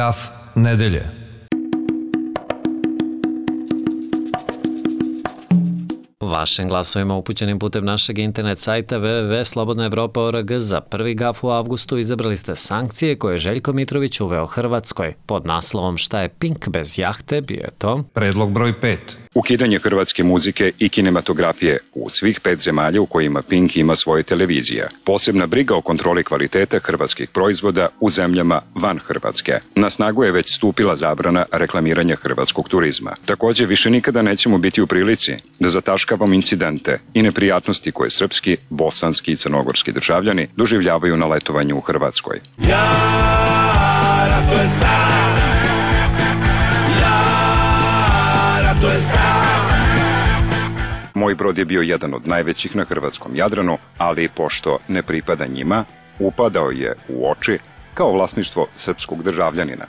Graf nedelje. Vašim glasovima upućenim putem našeg internet sajta www.slobodnaevropa.org za prvi gaf u avgustu izabrali ste sankcije koje je Željko Mitrović uveo Hrvatskoj. Pod naslovom Šta je Pink bez jahte bio je to Predlog broj 5. Ukidanje hrvatske muzike i kinematografije u svih 5 zemalja u kojima Pink ima svoje televizije. Posebna briga o kontroli kvaliteta hrvatskih proizvoda u zemljama van Hrvatske. Na snagu je već stupila zabrana reklamiranja hrvatskog turizma. Također više nikada nećemo biti u prilici da zataškavamo incidente i neprijatnosti koje srpski, bosanski i crnogorski državljani doživljavaju na letovanju u Hrvatskoj. Moj brod je bio jedan od najvećih na hrvatskom Jadranu, ali pošto ne pripada njima, upadao je u oči kao vlasništvo srpskog državljanina.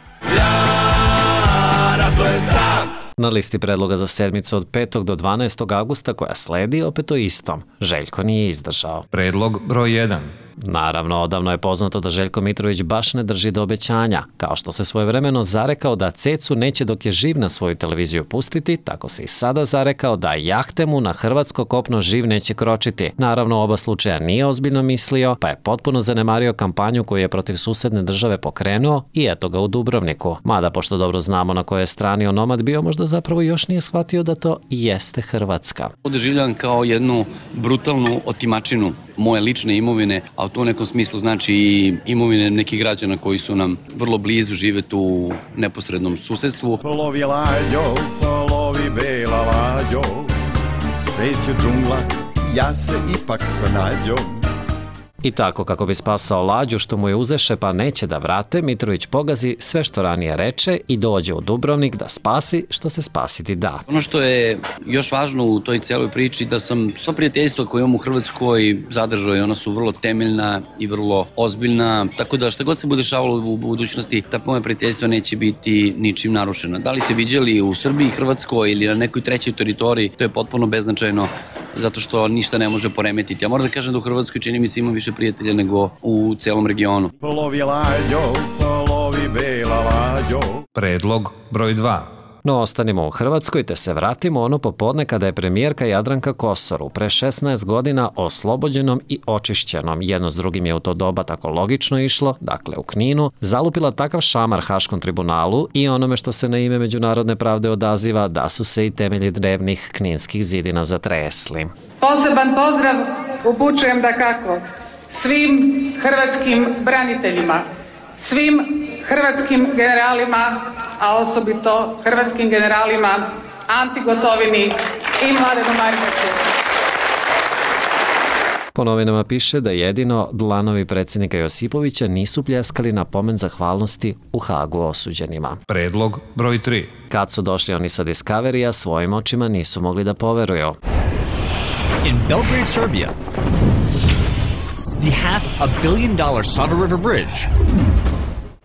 Na listi predloga za sedmicu od 5. do 12. avgusta koja sledi opet o istom. Željko nije izdržao. Predlog broj 1. Naravno, odavno je poznato da Željko Mitrović baš ne drži do obećanja. Kao što se svojevremeno zarekao da Cecu neće dok je živ na svoju televiziju pustiti, tako se i sada zarekao da jahte mu na hrvatsko kopno živ neće kročiti. Naravno, oba slučaja nije ozbiljno mislio, pa je potpuno zanemario kampanju koju je protiv susedne države pokrenuo i eto ga u Dubrovniku. Mada, pošto dobro znamo na kojoj strani onomad bio, možda zapravo još nije shvatio da to i jeste Hrvatska. Doživljavam kao jednu brutalnu otimačinu moje lične imovine, a u tom nekom smislu znači i imovine nekih građana koji su nam vrlo blizu, žive tu u neposrednom susedstvu. Polovi lađo, polovi bela lađo, svet je džungla, ja se ipak snađo. I tako, kako bi spasao lađu što mu je uzeše pa neće da vrate, Mitrović pogazi sve što ranije reče i dođe u Dubrovnik da spasi što se spasiti da. Ono što je još važno u toj celoj priči da sam sva prijateljstva koje imam u Hrvatskoj zadržao i ona su vrlo temeljna i vrlo ozbiljna, tako da šta god se bude dešavalo u budućnosti, ta moja prijateljstva neće biti ničim narušena. Da li se viđali u Srbiji, Hrvatskoj ili na nekoj trećoj teritoriji, to je potpuno beznačajno, zato što ništa ne može poremetiti. Ja moram da kažem da u Hrvatskoj čini mi se ima više prijatelja nego u celom regionu. Polovi lađo, polovi bela lađo. Predlog broj 2. No, ostanimo u Hrvatskoj te se vratimo ono popodne kada je premijerka Jadranka Kosor pre 16 godina oslobođenom i očišćenom, jedno s drugim je u to doba tako logično išlo, dakle u Kninu, zalupila takav šamar Haškom tribunalu i onome što se na ime međunarodne pravde odaziva da su se i temelji drevnih kninskih zidina zatresli. Poseban pozdrav upućujem dakako svim hrvatskim braniteljima, svim hrvatskim generalima, a osobito hrvatskim generalima Anti Gotovini i Mladenu Markaču. Po novinama piše da jedino dlanovi predsjednika Josipovića nisu pljeskali na pomen zahvalnosti u Hagu osuđenima. Predlog broj 3. Kad su došli oni sa Discovery-a, svojim očima nisu mogli da poveruju. In Belgrade, Serbia, the $500 million Sava River Bridge.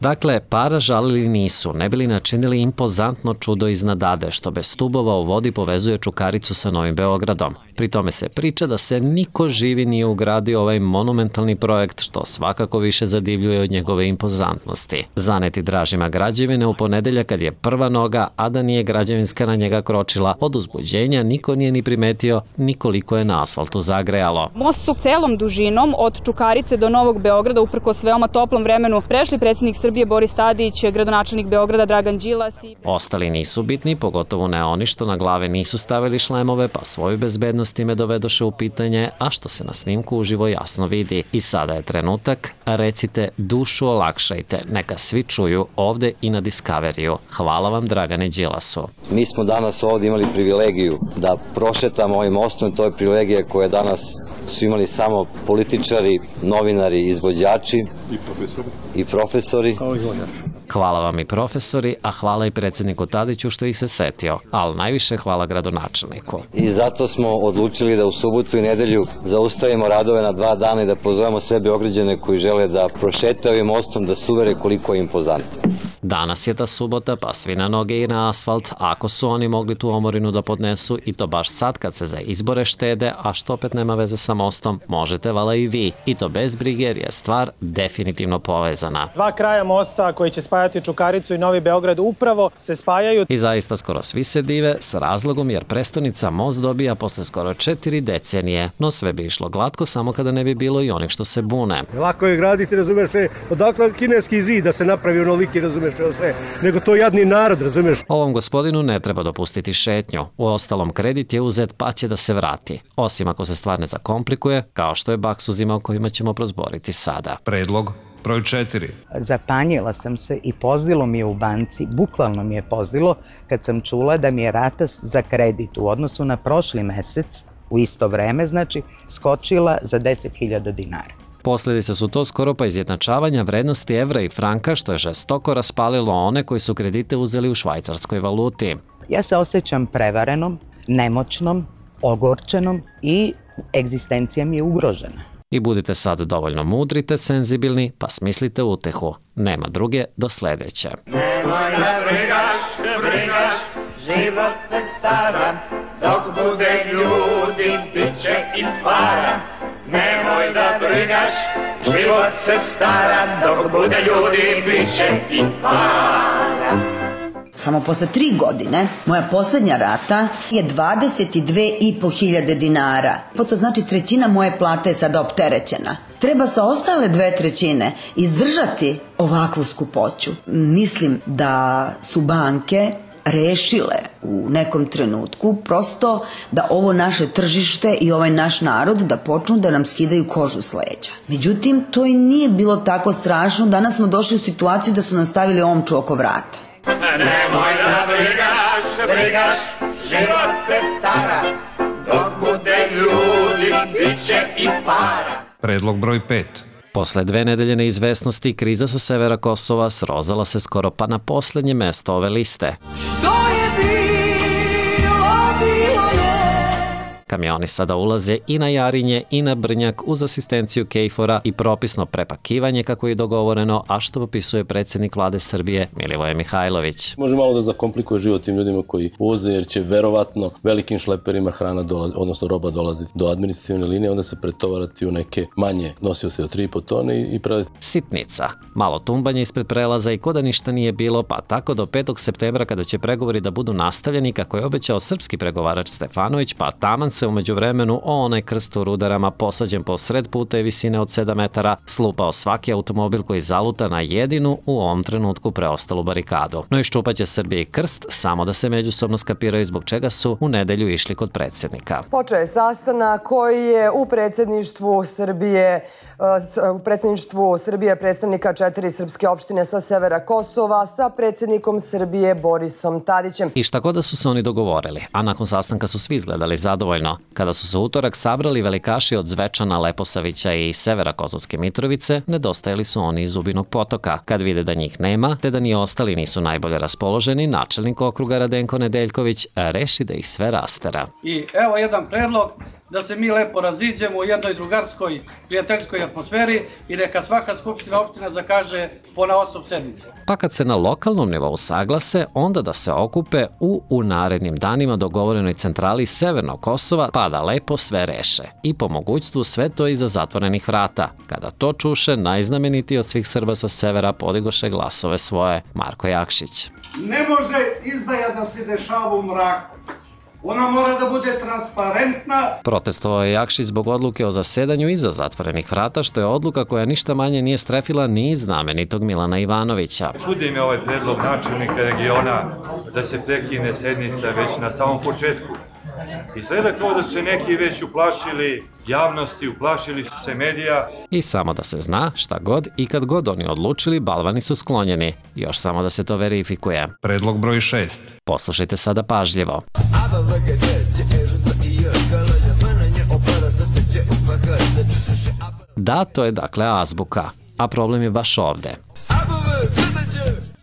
Dakle, para žalili nisu, ne bili načinili impozantno čudo iznad Ade, što bez stubova u vodi povezuje Čukaricu sa Novim Beogradom. Pri tome se priča da se niko živi nije ugradio ovaj monumentalni projekt, što svakako više zadivljuje od njegove impozantnosti. Zaneti dražima građevine u ponedeljak kad je prva noga, a da nije građevinska na njega kročila, od uzbuđenja niko nije ni primetio nikoliko je na asfaltu zagrejalo. Most su celom dužinom od Čukarice do Novog Beograda, uprkos veoma toplom vremenu, prešli predsjednik Srbije Boris Tadić, gradonačelnik Beograda Dragan Đilas i... Ostali nisu bitni, pogotovo ne oni što na glave nisu stavili šlemove, pa svoju bezbednost time dovedoše u pitanje, a što se na snimku uživo jasno vidi. I sada je trenutak, recite dušu olakšajte, neka svi čuju ovde i na Discovery-u. Hvala vam, Dragane Đilasu. Mi smo danas ovdje imali privilegiju da prošetamo ovim mostom, to je privilegija koja danas su imali samo političari, novinari, izvođači i profesori. Hvala vam i profesori, a hvala i predsjedniku Tadiću što ih se setio, ali najviše hvala gradonačelniku. I zato smo odlučili da u subotu i nedelju zaustavimo radove na 2 dana i da pozovemo sve Beograđane koji žele da prošetaju ovim mostom, da se uvere koliko je impozantan. Danas je ta subota, pa svi na noge i na asfalt, ako su oni mogli tu omorinu da podnesu i to baš sad kad se za izbore štede, a što opet nema veze sa mostom, možete vala i vi. I to bez brige jer je stvar definitivno povezana. Dva kraja mosta koji će spajati Čukaricu i Novi Beograd upravo se spajaju. I zaista skoro svi se dive s razlogom jer prestonica most dobija posle skoro 4 decenije. No sve bi išlo glatko samo kada ne bi bilo i onih što se bune. Lako je graditi, razumeš, odakle kineski zid da se napravi onoliki, razumeš, sve, nego to jadni narod, razumeš. Ovom gospodinu ne treba dopustiti šetnju. Uostalom, kredit je uzet pa će da se vrati. Osim ako se stvar ne zakomplikuje, kao što je Baks uzimao kojima ćemo prozboriti sada. Predlog broj 4. Zapanjila sam se i pozdilo mi je u banci, bukvalno mi je pozdilo kad sam čula da mi je rata za kredit u odnosu na prošli mesec, u isto vreme, znači, skočila za 10.000 dinara. Posljedice su to skoro pa izjednačavanja vrednosti evra i franka, što je žestoko raspalilo one koji su kredite uzeli u švajcarskoj valuti. Ja se osjećam prevarenom, nemoćnom, ogorčenom i egzistencija mi je ugrožena. I budite sad dovoljno mudri te senzibilni, pa smislite utehu. Nema druge do sledeće. Nemoj da brigaš, život se stara, dok bude ljudi, bit će i para. Nemoj da brigaš, život se stara, dok bude ljudi, bit će i para. Samo posle 3 godine, moja poslednja rata je 22.500 dinara. Pa to znači 1/3 moje plate je sada opterećena. Treba sa ostale 2/3 izdržati ovakvu skupoću. Mislim da su banke rešile u nekom trenutku prosto da ovo naše tržište i ovaj naš narod da počnu da nam skidaju kožu s leđa. Međutim, to i nije bilo tako strašno. Danas smo došli u situaciju da su nam stavili omču oko vrata. Nemoj da brigaš, život se stara, dok bude ljudi, bit će i para. Predlog broj 5. Posle 2 nedelje neizvesnosti, kriza sa severa Kosova srozala se skoro pa na poslednje mesto ove liste. Što je bilo je. Kamioni sada ulaze i na Jarinje i na Brnjak uz asistenciju KFOR-a i propisno prepakivanje kako je dogovoreno, a što popisuje predsjednik vlade Srbije Milivoje Mihajlović. Može malo da zakomplikuje život tim ljudima koji uvoze jer će verovatno velikim šleperima hrana dolazi, odnosno roba dolaziti do administrativne linije, onda se pretovarati u neke manje nosioce od 3,5 tone i pravi. Sitnica. Malo tumbanje ispred prelaza i ko da ništa nije bilo, pa tako do 5. septembra kada će pregovori da budu nastavljeni kako je obećao srpski pregovarač Stefanović, pa taman se umeđu vremenu o onaj krst u Rudarama posađen po sred puta i visine od 7 metara slupao svaki automobil koji zaluta na jedinu u ovom trenutku preostalu barikadu. No iščupaće Srbije i krst samo da se međusobno skapiraju zbog čega su u nedelju išli kod predsjednika. Počeo je sastanak koji je u predsjedništvu Srbije predstavnika 4 srpske opštine sa severa Kosova sa predsjednikom Srbije Borisom Tadićem. I šta god da su se oni dogovorili, a nakon sastanka su svi izgledali zadovoljno. Kada su se utorak sabrali velikaši od Zvečana, Leposavića i severa Kosovske Mitrovice, nedostajali su oni iz Zubinog Potoka. Kad vide da njih nema, te da ni ostali nisu najbolje raspoloženi, načelnik okruga Radenko Nedeljković reši da ih sve rastera. I evo jedan predlog da se mi lepo raziđemo u jednoj drugarskoj, prijateljskoj atmosferi i neka svaka skupština opština zakaže ponaosob sednice. Pa kad se na lokalnom nivou saglase, onda da se okupe u narednim danima dogovorenoj centrali Severnog Kosova, pa da lepo sve reše. I po mogućstvu sve to iza zatvorenih vrata. Kada to čuše, najznamenitiji od svih Srba sa severa podigoše glasove svoje, Marko Jakšić. Ne može izdaja da se dešava u mraku. Ona mora da bude transparentna. Protestovao je Jakšić zbog odluke o zasedanju iza zatvorenih vrata, što je odluka koja ništa manje nije strefila ni znamenitog Milana Ivanovića. Čudi me ovaj predlog načelnika regiona da se prekine sednica već na samom početku. Izgleda kao da su se neki već uplašili javnosti, uplašili su se medija. I samo da se zna, šta god i kad god oni odlučili, balvani su sklonjeni. Još samo da se to verifikuje. Predlog broj 6. Poslušajte sada pažljivo. Da, to je dakle azbuka, a problem je baš ovde.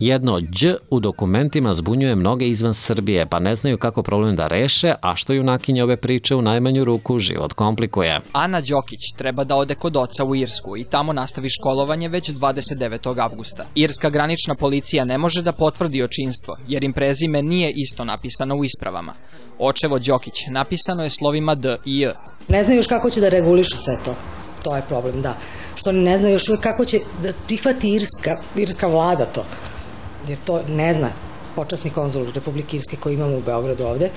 Jedno đ u dokumentima zbunjuje mnoge izvan Srbije, pa ne znaju kako problem da reše, a što junakinje ove priče u najmanju ruku život komplikuje. Ana Đokić treba da ode kod oca u Irsku i tamo nastavi školovanje već 29. avgusta. Irska granična policija ne može da potvrdi očinstvo, jer im prezime nije isto napisano u ispravama. Očevo Đokić napisano je slovima D i J. Ne znaju još kako će da regulišu sve to. To je problem, da. Što oni ne znaju još uvijek kako će da prihvati irska vlada to. Jer to ne zna počasni konzul Republike Irske koji imamo u Beogradu ovde.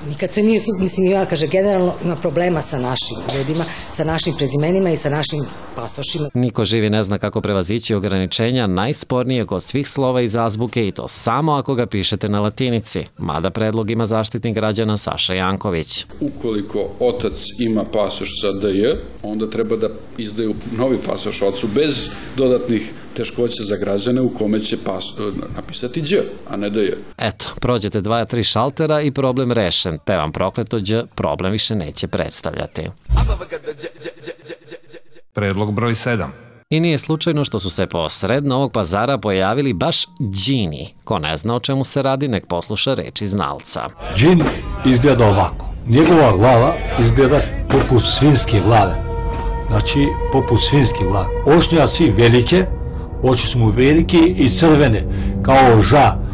Nikad se nije, ima, kaže, generalno ima problema sa našim ljudima, sa našim prezimenima i sa našim pasošima. Niko živi ne zna kako prevazići ograničenja najspornijeg od svih slova iz azbuke i to samo ako ga pišete na latinici, mada predlog ima Zaštitnik građana Saša Janković. Ukoliko otac ima pasoš sa DJ, onda treba da izdaju novi pasoš ocu bez dodatnih teškoća za građane u kome će napisati đ, a ne DJ. Eto, prođete 2-3 šaltera i problem rešen, te vam prokleto đ problem više neće predstavljati. Predlog broj 7. I nije slučajno što su se posred Novog Pazara pojavili baš džini. Ko ne zna o čemu se radi, nek posluša reči znalca. Džin izgleda ovako. Njegova glava izgleda poput svinjske glave. Znači, poput svinjske glave. Ošnjaci velike, oči su mu velike i crvene, kao ža.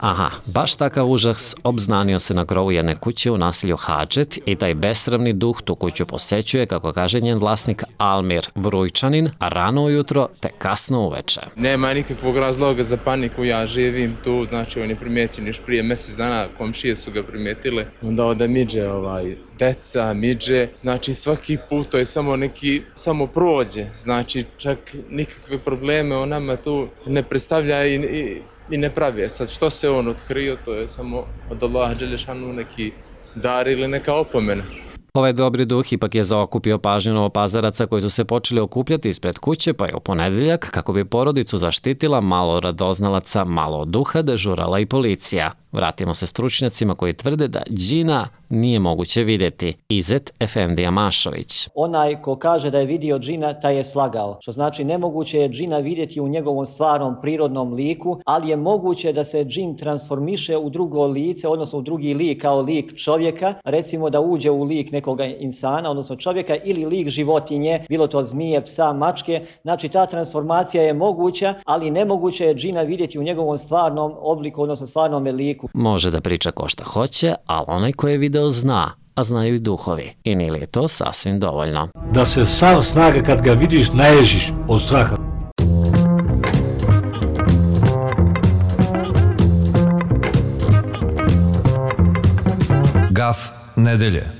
Aha, baš takav užas obznanio se na krovu jedne kuće u naselju Hadžet i taj besramni duh tu kuću posećuje, kako kaže njen vlasnik Almir Vrujčanin, rano ujutro te kasno uveče. Nema nikakvog razloga za paniku, ja živim tu, znači on je primećen još prije mjesec dana, komšije su ga primetile, onda ode miđe, deca, miđe, znači svaki put to je samo prođe, znači čak nikakve probleme on nama tu ne predstavlja i ne pravi. Sad što se on otkrio, to je samo od Allaha dželešanu neki dar ili neka opomena. Ovaj dobri duh ipak je zaokupio pažnju Novopazaraca koji su se počeli okupljati ispred kuće, pa je u ponedeljak, kako bi porodicu zaštitila, malo radoznalaca, malo duha, dežurala i policija. Vratimo se stručnjacima koji tvrde da džina nije moguće vidjeti. Izet Efendija Mašović. Onaj ko kaže da je vidio džina, taj je slagao. Što znači nemoguće je džina vidjeti u njegovom stvarnom prirodnom liku, ali je moguće da se džin transformiše u drugo lice, odnosno u drugi lik kao lik čovjeka, recimo da uđe u lik nekoga insana, odnosno čovjeka, ili lik životinje, bilo to zmije, psa, mačke. Znači ta transformacija je moguća, ali nemoguće je džina vidjeti u njegovom stvarnom obliku, odnosno stvarnom liku. Može da priča ko šta hoće, ali onaj ko je video zna, a znaju i duhovi. I nije li je to sasvim dovoljno? Da se sam snaga kad ga vidiš naježiš od straha. Gaf nedelje.